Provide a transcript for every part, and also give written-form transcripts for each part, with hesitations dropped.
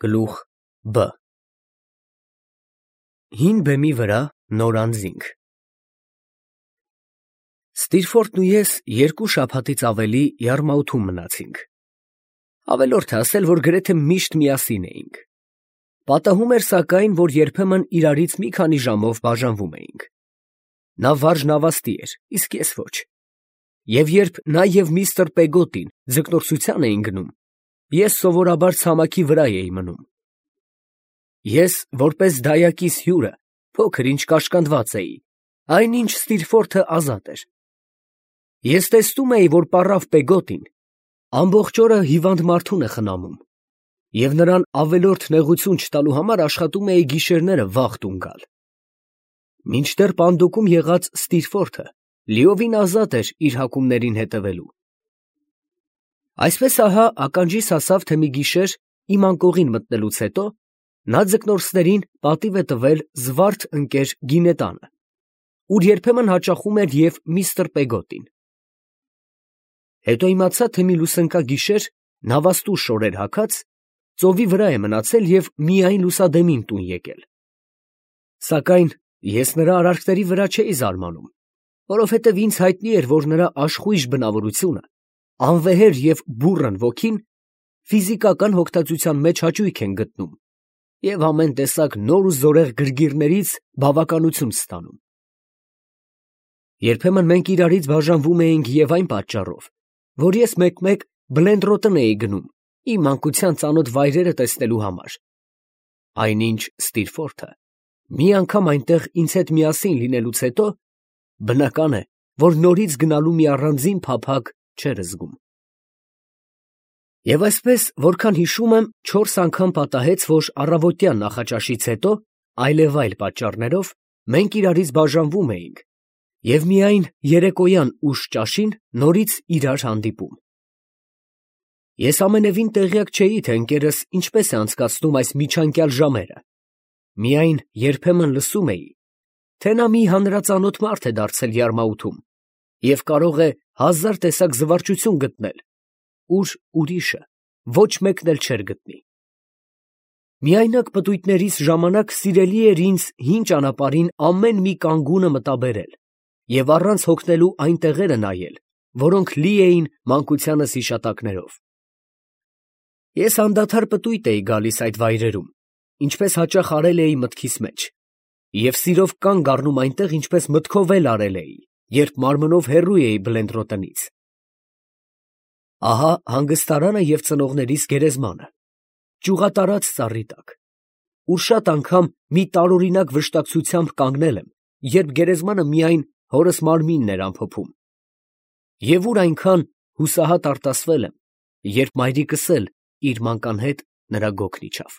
Գլուխ Բ Հին բեմի վրա նոր անձինք։ Ստիրֆորդն ու ես 2 շաբաթից ավելի Յարմաութում մնացինք։ Ավելորդ է ասել, որ գրեթե միշտ միասին էինք։ Պատահում էր սակայն, որ երբեմն իրարից մի քանի ժամով բաժանվում էինք։ Նա վարժնավաստի էր, իսկ ես ոչ։ Եվ երբ նա և միստր Պեգոտին ձկնորսության էին գնում, ես սովորաբար ցամաքի վրա էի մնում։ Ես, որպես դայակիս հյուրը, փոքր-ինչ կաշկանդված էի, այնինչ Ստիրֆորդը ազատ էր։ Ես տեսնում էի, որ պառավ Պեգոտին ամբողջ օրը հիվանդ մարդուն է խնամում, և նրան ավելորդ նեղություն չտալու համար աշխատում էի գիշերները վաղ տուն գալ։ Մինչդեռ պանդոկում եղած Ստիրֆորդը լիովին ազատ էր իր հակումներին հետևելու։ Այսպես ահա ականջիս հասավ, թե մի գիշեր իմ անկողին մտնելուց հետո նա ձկնորսներին պատիվ է տվել զվարթ ընկեր Գինետանը, ուր երբեմն հաճախում էր և միստր Պեգոտին։ Հետո իմացա, թե մի լուսընկագիշեր նավաստու շորեր հագած ծովի վրա է մնացել և միայն լուսադեմին տուն եկել։ Սակայն ես նրա արարքների վրա չէի զարմանում, որովհետև ինձ հայտնի էր, որ նրա աշխույժ բնավորությունը, անվեհեր և բուռն ոգին ֆիզիկական հոգտածության մեջ հաճույք են գտնում և ամեն տեսակ նոր ու զորեղ գրգիռներից բավականություն ստանում։ Երբեմն մենք իրարից բաժանվում էինք և այն պատճառով, որ ես մեկ-մեկ Բլենդրոտն էի գնում իմ մանկության ծանոթ վայրերը տեսնելու համար, այնինչ Ստիրֆորդը մի անգամ այնտեղ ինձ հետ միասին լինելուց հետո, բնական է, որ նորից գնալու մի առանձին փափագ չէր զգում։ Եվ այսպես, որքան հիշում եմ, 4 անգամ պատահեց, որ առավոտյան նախաճաշից հետո, այլևայլ պատճառներով, մենք իրարից բաժանվում էինք և միայն երեկոյան ուշ ճաշին նորից իրար հանդիպում։ Ես ամենևին տեղյակ չէի, թե ընկերս ինչպես է անցկացնում այս միջանկյալ ժամերը, միայն երբեմն լսում էի, թե նա մի հանրածանոթ մարդ է դարձել Յարմաութում և կարող է 1000 տեսակ զվարճություն գտնել, ուր ուրիշը ոչ մեկն էլ չէր գտնի։ Միայնակ պտույտներիս ժամանակ սիրելի էր ինձ հին ճանապարհին ամեն մի կանգունը մտաբերել և առանց հոգնելու այն տեղերը նայել, որոնք լի էին մանկությանս հիշատակներով։ Ես անդադար պտույտ էի գալիս այդ վայրերում, ինչպես հաճախ արել էի մտքիս մեջ, և սիրով կանգ առնում այնտեղ, ինչպես մտքով էլ արել էի, երբ մարմնով հեռու էի Բլենդրոտնից։ Ահա հանգստարանը և ծնողներիս գերեզմանը, ճյուղատարած ծառի տակ, ուր շատ անգամ մի տարօրինակ վշտակցությամբ կանգնել եմ, երբ գերեզմանը միայն հորս մարմինն էր ամփոփում, և ուր այնքան հուսահատ արտասվել եմ, երբ մայրիկս էլ իր մանկան հետ նրա գոգն իջավ։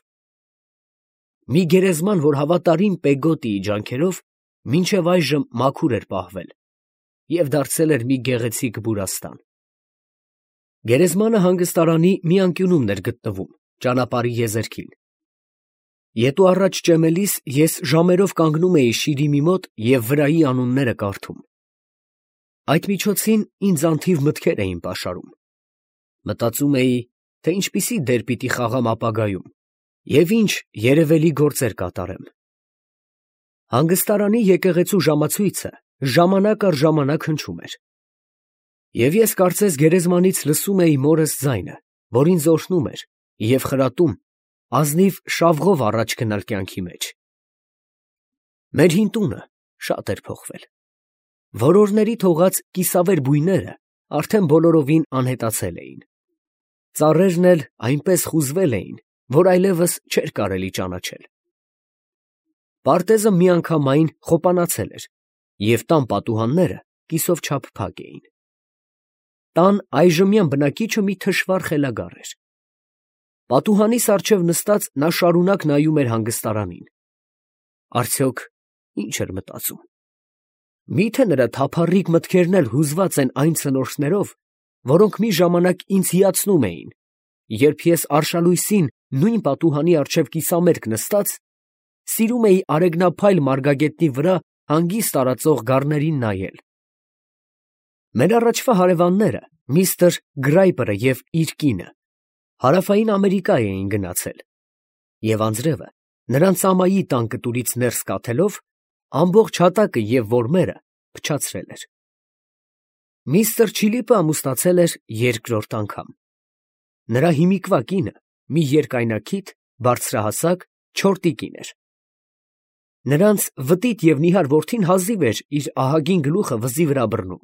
Մի գերեզման, որ հավատարիմ Պեգոտիի ջանքերով մինչև այժմ մաքուր էր պահվել և դարձել էր մի գեղեցիկ բուրաստան։ Գերեզմանը հանգստարանի մի անկյունում էր գտնվում, ճանապարհի եզերքին։ Ետ ու առաջ ճեմելիս ես ժամերով կանգնում էի շիրիմի մոտ և վրայի անունները կարդում։ Այդ միջոցին ինձ անթիվ մտքեր էին պաշարում։ Մտածում էի, թե ինչպիսի դեր պիտի խաղամ ապագայում և ինչ երևելի գործեր կատարեմ։ Հանգստարանի եկեղեցու ժամացույցը ժամանակ առ ժամանակ հնչում էր։ Եվ ես կարծես գերեզմանից լսում էի մորս ձայնը, որ ինձ օրհնում էր և խրատում ազնիվ շավղով առաջ գնալ կյանքի մեջ։ Մեր հին տունը շատ էր փոխվել։ Որորների թողած կիսավեր բույները արդեն բոլորովին անհետացել էին։ Ծառերն էլ այնպես խուզվել էին, որ այլևս չէր կարելի ճանաչել։ Պարտեզը միանգամայն խոպանացել էր, և տան պատուհանները կիսով չափ փակ էին։ Տան այժմյան բնակիչը մի թշվառ խելագար էր։ Պատուհանիս առջև նստած նա շարունակ նայում էր հանգստարանին։ Արդյոք ինչ էր մտածում։ Մի՞թե նրա թափառիկ մտքերն էլ հուզված են այն ցնորքներով, որոնք մի ժամանակ ինձ հիացնում էին, երբ ես արշալույսին նույն պատուհանի առջև կիսամերկ նստած, սիրում էի արեգնափայլ մարգագետնի վրա հանգիստ տարածող գառներին նայել։ Մեր առաջվա հարևանները, միստր Գրայպերը և իր կինը, Հարավային Ամերիկա էին գնացել, և անձրևը նրան ծամայի տան կտուրից ներս կաթելով ամբողջ հատակը և որմերը փչացրել էր։ Միստր Չիլիպը ամուսնացել էր երկրորդ անգամ։ Նրա հիմիկվա կինը մի երկայնաքիթ, բարձրահասակ, չոր տիկին էր։ Նրանց վտիտ և նիհար որդին հազիվ էր իր ահագին գլուխը վզի վրա բռնում,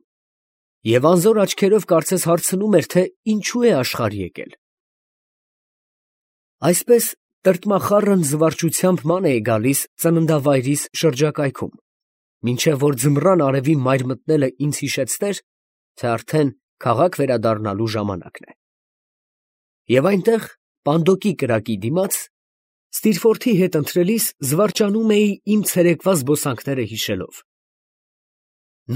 և անզոր աչքերով կարծես հարցնում էր, թե ինչու է աշխարհ եկել։ Այսպես տրտմախառն զվարճությամբ ման էի գալիս ծննդավայրիս շրջակայքում, մինչև որ ձմռան արևի մայր մտնելը ինձ հիշեցներ, թե արդեն քաղաք վերադառնալու ժամանակն է։ Եվ այնտեղ, Պանդոկի կրակի դիմաց, Ստիրֆորթի հետ ընթրելիս զվարճանում էի իմ ցերեկվա զբոսանքները հիշելով։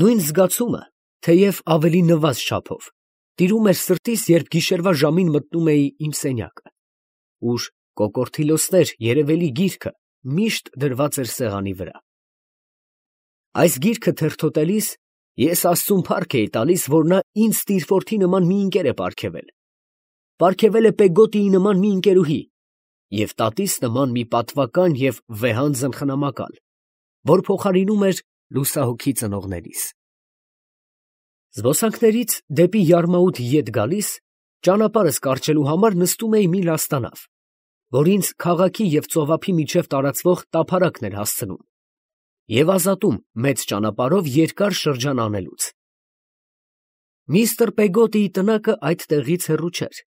Նույն զգացումը, թեև ավելի նվազ չափով, տիրում էր սրտիս, երբ գիշերվա ժամին մտնում էի իմ սենյակը, ուր կոկորդիլոսներ երևելի գիրքը միշտ դրված էր սեղանի վրա։ Այս գիրքը թերթոտելիս ես աստծուն փառք էի տալիս, որ նա ինձ Ստիրֆորթի նման մի ընկեր է պարգևել։ Պարգևել է Պեգոտիի նման մի ընկերուհի և տատիս նման մի պատվական և վեհանձն խնամակալ, որ փոխարինում էր լուսահոգի ծնողներիս։ Զբոսանքներից դեպի Յարմաուտ ետ գալիս, ճանապարհս կարճելու համար նստում էի մի լաստանավ, որ ինձ քաղաքի և ծովափի միջև տարածվող տափարակն էր հասցնում և ազատում մեծ ճանապարհով երկար շրջան անելուց։ Միստր Պեգոտիի տնակը այդ տեղից հեռու չէր,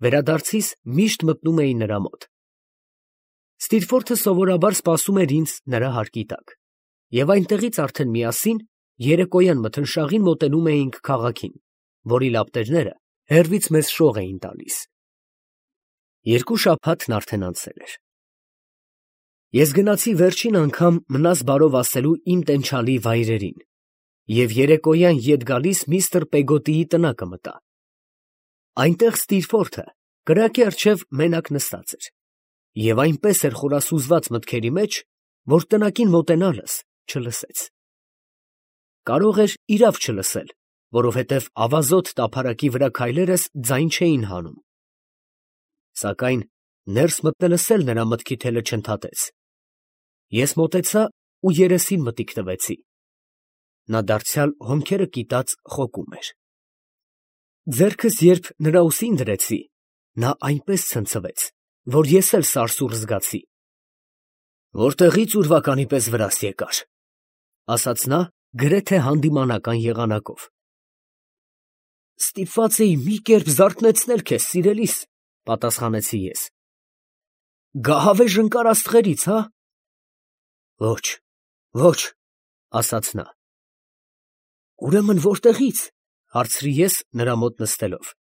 վերադարձիս միշտ մտնում էի նրա մոտ։ Ստիրֆորթը սովորաբար սպասում էր ինձ նրա հարկի տակ, և այնտեղից արդեն միասին երեկոյան մթնշաղին մոտենում էինք քաղաքին, որի լապտերները հեռվից մեզ շող էին տալիս։ 2 շաբաթն արդեն անցել էր։ Ես գնացի վերջին անգամ մնաս բարով ասելու իմ տենչալի վայրերին և երեկոյան ետ գալիս միստր Պեգոտիի տնակը մտա։ Այնտեղ Ստիրֆորթը կրակի առջև մենակ նստած էր և այնպես էր խորասուզված մտքերի մեջ, որ տնակին մոտենալս չլսեց։ Կարող էր իրավ չլսել, որովհետև ավազոտ տափարակի վրա քայլերս ձայն չէին հանում։ Սակայն ներս մտնելս էլ նրա մտքի թելը չընդհատեց։ Ես մոտեցա ու երեսին մտիկ տվեցի։ Նա դարձյալ հոնքերը կիտած խոկում էր։ Ձեռքս երբ նրա ուսին դրեցի, նա այնպես ցնցվեց, որ ես էլ սարսուռ զգացի։ «Որտեղի՞ց ուրվականի պես վրաս եկար», ֊ ասաց նա գրեթե հանդիմանական եղանակով։ «Ստիպված էի մի կերպ զարթնեցնել քեզ, սիրելիս», ֊ պատասխանեցի ես։ «Գահավեժ ընկար աստղերից, հա՞։ Ոչ, ոչ, ֊ ասաց նա։ Ուրեմն որտեղից, ֊ հարցրի ես նրա մոտ նստելով։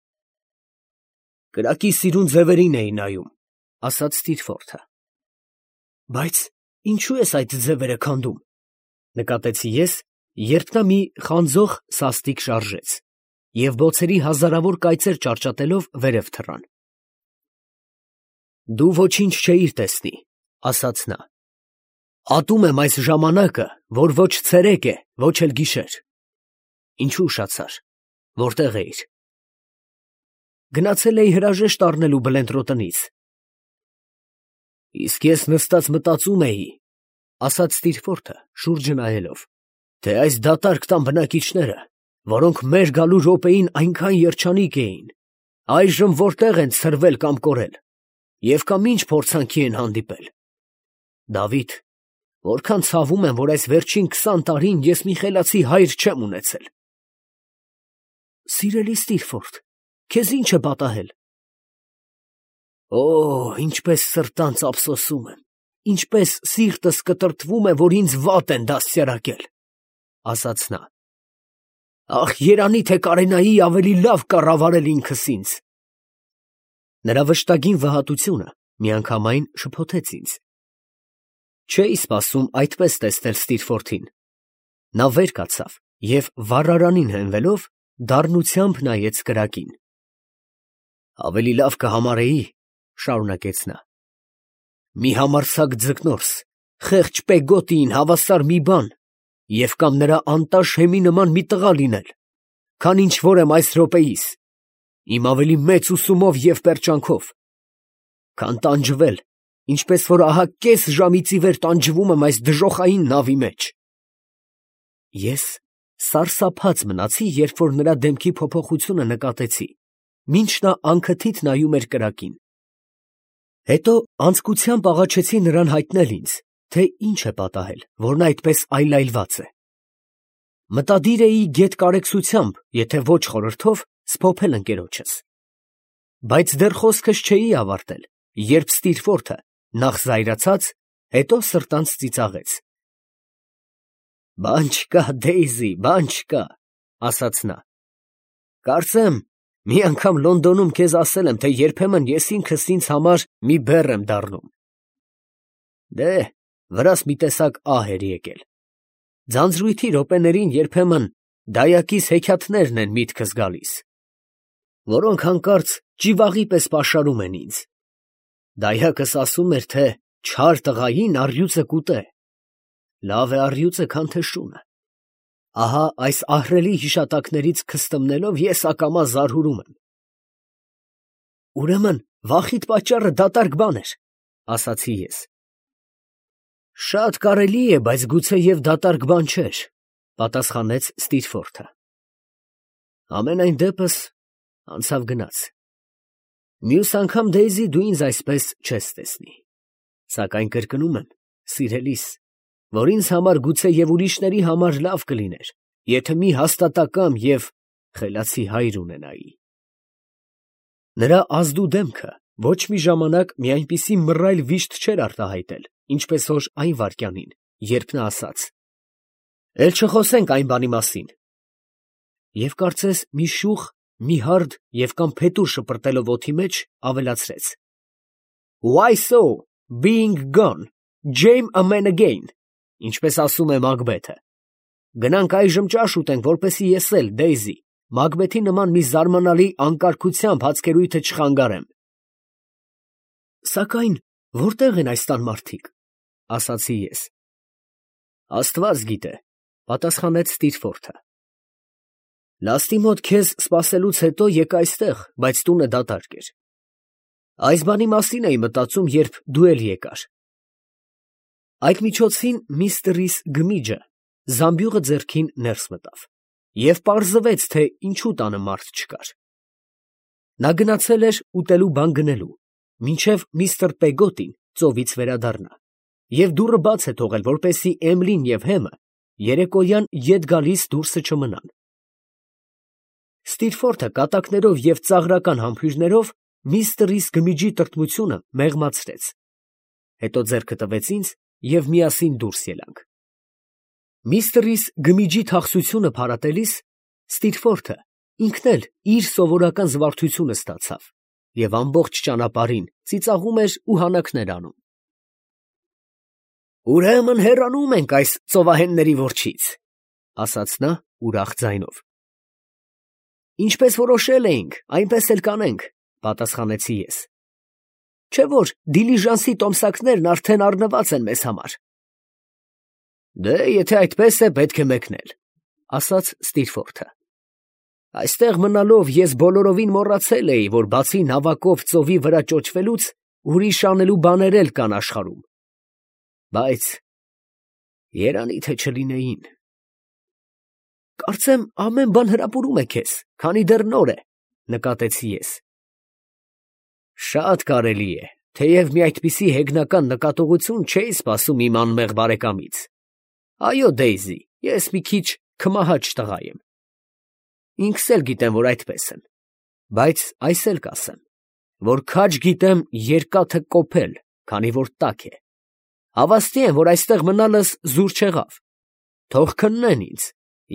Կրակի սիրուն ձևերին էի նայում, ֊ ասաց Ստիրֆորթը։ Բայց ինչու ես այդ ձևերը քանդում, ֊ նկատեցի ես, երբ նա մի խանձող սաստիկ շարժեց և բոցերի հազարավոր կայծեր ճարճատելով վերև թռան։ Դու ոչինչ չէիր տեսնի, ֊ ասաց նա։ Ատում եմ այս ժամանակը, որ ոչ ցերեկ է, ոչ էլ գիշեր։ Ինչու ուշացար, որտեղ էիր։ Գնացել էի հրաժեշտ առնելու Բլենտրոտնից։ Իսկ ես նստած մտածում էի, ֊ ասաց Ստիրֆորթը շուրջը նայելով, թե այս դատարկ տան բնակիչները, որոնք մեր գալու րոպեին այնքան երջանիկ էին, այժմ որտեղ են ցրվել կամ կորել, և կամ ինչ փորձանքի են հանդիպել։ Դավիթ, որքան ցավում եմ, որ այս վերջին 20 տարին ես մի խելացի հայր չեմ ունեցել։ Սիրելի Ստիրֆորթ, քեզ ի՞նչ է պատահել։ Օ, ինչպես սրտանց ափսոսում եմ, ինչպես սիրտս կտրտվում է, որ ինձ վատ են դաստիարակել, ֊ ասաց նա։ Ախ, երանի թե կարենայի ավելի լավ կառավարել ինքս ինձ։ Նրա վշտագին վհատությունը միանգամայն շփոթեց ինձ։ Չէի սպասում այդպես տեսնել Ստիրֆորթին։ Նա վեր կացավ և վառարանին հենվելով, դառնությամբ նայեց կրակին։ Ավելի լավ կհամարեի, ֊ շարունակեց նա, մի համարձակ ձկնորս, խեղճ Պեգոտիին հավասար մի բան և կամ նրա անտաշ հեմի նման մի տղա լինել, քան ինչ որ եմ այս րոպեիս, իմ ավելի մեծ ուսումով և պերճանքով, քան տանջվել ինչպես որ ահա կես ժամից ի վեր տանջվում եմ այս դժոխային նավի մեջ։ Ես սարսափած մնացի, երբ որ նրա դեմքի փոփոխությունը նկատեցի, մինչ նա անքթիթ նայում էր կրակին։ Հետո անձկությամբ աղաչեցի նրան հայտնել ինձ, թե ինչ է պատահել, որ նա այդպես այլայլված է։ Մտադիր էի գեթ կարեկցությամբ, եթե ոչ խորհրդով, սփոփել ընկերոջս։ Բայց դեռ խոսքս չէի ավարտել, երբ Ստիրֆորթը նախ զայրացած, հետո սրտանց ծիծաղեց։ «Բան չկա, Դեյզի, բան չկա», ասաց նա։ «Կարծեմ, մի անգամ Լոնդոնում քեզ ասել եմ, թե երբեմն ես ինքս ինձ համար մի բեռ եմ դառնում։ Դե, վրաս մի տեսակ ահ էր եկել։ Ձանձրույթի րոպեներին երբեմն դայակիս հեքիաթներն են միտքս գալիս, որոնք հանկարծ ճիվաղի պես պաշարում են ինձ։ Դայակս ասում էր, թե չար տղային առյուծը կուտե։ Լավ է առյուծը, քան թե շունը։ Ահա այս ահռելի հիշատակներից քստմնելով ես ակամա զարհուրում եմ։ Ուրեմն վախիդ պատճառը դատարկ բան էր, ասացի ես։ Շատ կարելի է, բայց գուցե և դատարկ բան չէր, պատասխանեց Ստիրֆորթը։ Ամենայն դեպս անցավ գնաց։ Մյուս անգամ, Դեյզի, դու ինձ այսպես չես տեսնի։ Սակայն կրկնում եմ, սիրելիս, որ ինձ համար գուցե և ուրիշների համար լավ կլիներ, եթե մի հաստատակամ և խելացի հայր ունենայի։ Նրա ազդու դեմքը ոչ մի ժամանակ մի այնպիսի մռայլ վիշտ չէր արտահայտել, ինչպես որ այն վայրկյանին, երբ նա ասաց. «Էլ չխոսենք այն բանի մասին», և կարծես մի շուխ, մի հարդ և կամ փետուր շպրտելով օդի մեջ, ավելացրեց. «Why so, being gone, Jame a man again», ինչպես ասում է Մակբեթը։ Գնանք այժմ ճաշ ուտենք, որպեսզի ես էլ, Դեյզի, Մակբեթի նման մի զարմանալի անկարգությամբ հացկերույթը չխանգարեմ։ Սակայն որտե՞ղ են այս տան մարդիկ, ասացի ես։ Աստված գիտե, պատասխանեց Ստիրֆորթը։ Լաստի մոտ քեզ սպասելուց հետո եկա այստեղ, բայց տունը դատարկ էր։ Այս բանի մասին էի մտածում, երբ դու էլ եկար։ Այդ միջոցին միստրիս Գմիջը զամբյուղը ձեռքին ներս մտավ, և պարզվեց, թե ինչու տանը մարդ չկար։ Նա գնացել էր ուտելու բան գնելու, մինչև միստր Պեգոտին ծովից վերադառնա, և դուռը բաց է թողել, որպեսզի Էմլին և Հեմը երեկոյան ետ գալիս դուրսը չմնան։ Ստիրֆորթը կատակներով և ծաղրական համբույրներով միստրիս Գմիջի տրտմությունը մեղմացրեց։ Հետո ձեռքը տվեց ինձ, և միասին դուրս ելանք։ Միստրիս Գմիջի թախսությունը փարատելիս Ստիրֆորթը ինքն էլ իր սովորական զվարթությունը ստացավ և ամբողջ ճանապարհին ծիծաղում էր ու հանաքներ անում։ «Ուրեմն հեռանում ենք այս ծովահենների որջից», ասաց նա ուրախ ձայնով։ «Ինչպես որոշել էինք, այնպես էլ կանենք», պատասխանեցի ես։ Չէ՞ որ դիլիժանսի տոմսակներն արդեն առնված են մեզ համար։ Դե, եթե այդպես է, պետք է մեկնել, ասաց Ստիրֆորթը։ Այստեղ մնալով ես բոլորովին մոռացել էի, որ բացի նավակով ծովի վրա ճոճվելուց, ուրիշ անելու բաներ էլ կան աշխարհում։ Բայց երանի թե չլինեին։ Կարծեմ ամեն բան հրապուրում է քեզ, քանի դեռ նոր է, նկատեցի ես։ Շատ կարելի է, թեև մի այդպիսի հեգնական նկատողություն չէի սպասում իմ անմեղ բարեկամից։ Այո, Դեյզի, ես մի քիչ քմահաճ տղա եմ։ Ինքս էլ գիտեմ, որ այդպես եմ, բայց այս էլ կասեմ, որ քաջ գիտեմ երկաթը կոփել, քանի որ տաք է։ Հավաստի եմ, որ այստեղ մնալս զուր չեղավ։ Թող քննեն ինձ,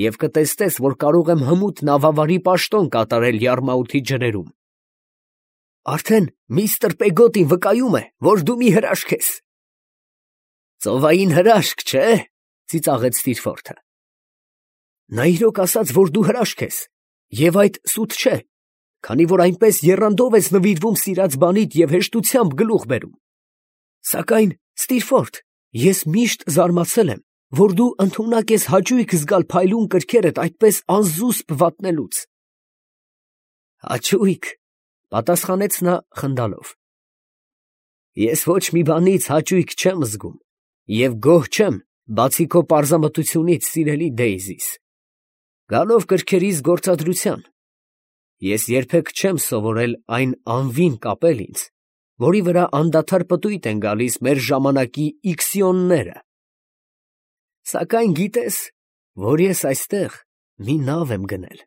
և կտեսնես, որ կարող եմ հմուտ նավավարի պաշտոն կատարել Յարմաութի ջրերում։ Արդեն միստր Պեգոտին վկայում է, որ դու մի հրաշք ես։ Ծովային հրաշք, չէ՞, ծիծաղեց Ստիրֆորթը։ Նա իրոք ասաց, որ դու հրաշք ես, և այդ սուտ չէ, քանի որ այնպես եռանդով ես նվիրվում սիրած բանիդ և հեշտությամբ գլուխ բերում։ Սակայն, Ստիրֆորթ, ես միշտ զարմացել եմ, որ դու ընդունակ ես հաճույք զգալ փայլուն կրքերդ այդպես անզուսպ վատնելուց։ Հաճույք, պատասխանեց նա խնդալով։ Ես ոչ մի բանից հաճույք չեմ զգում և գոհ չեմ, բացի քո պարզամտությունից, սիրելի Դեյզիս, գալով կրքերիս գործադրության, ես երբեք չեմ սովորել այն անվին կապել ինձ, որի վրա անդադար պտույտ են գալիս մեր ժամանակի իքսիոնները. սակայն գիտե՞ս, որ ես այստեղ մի նավ եմ գնել։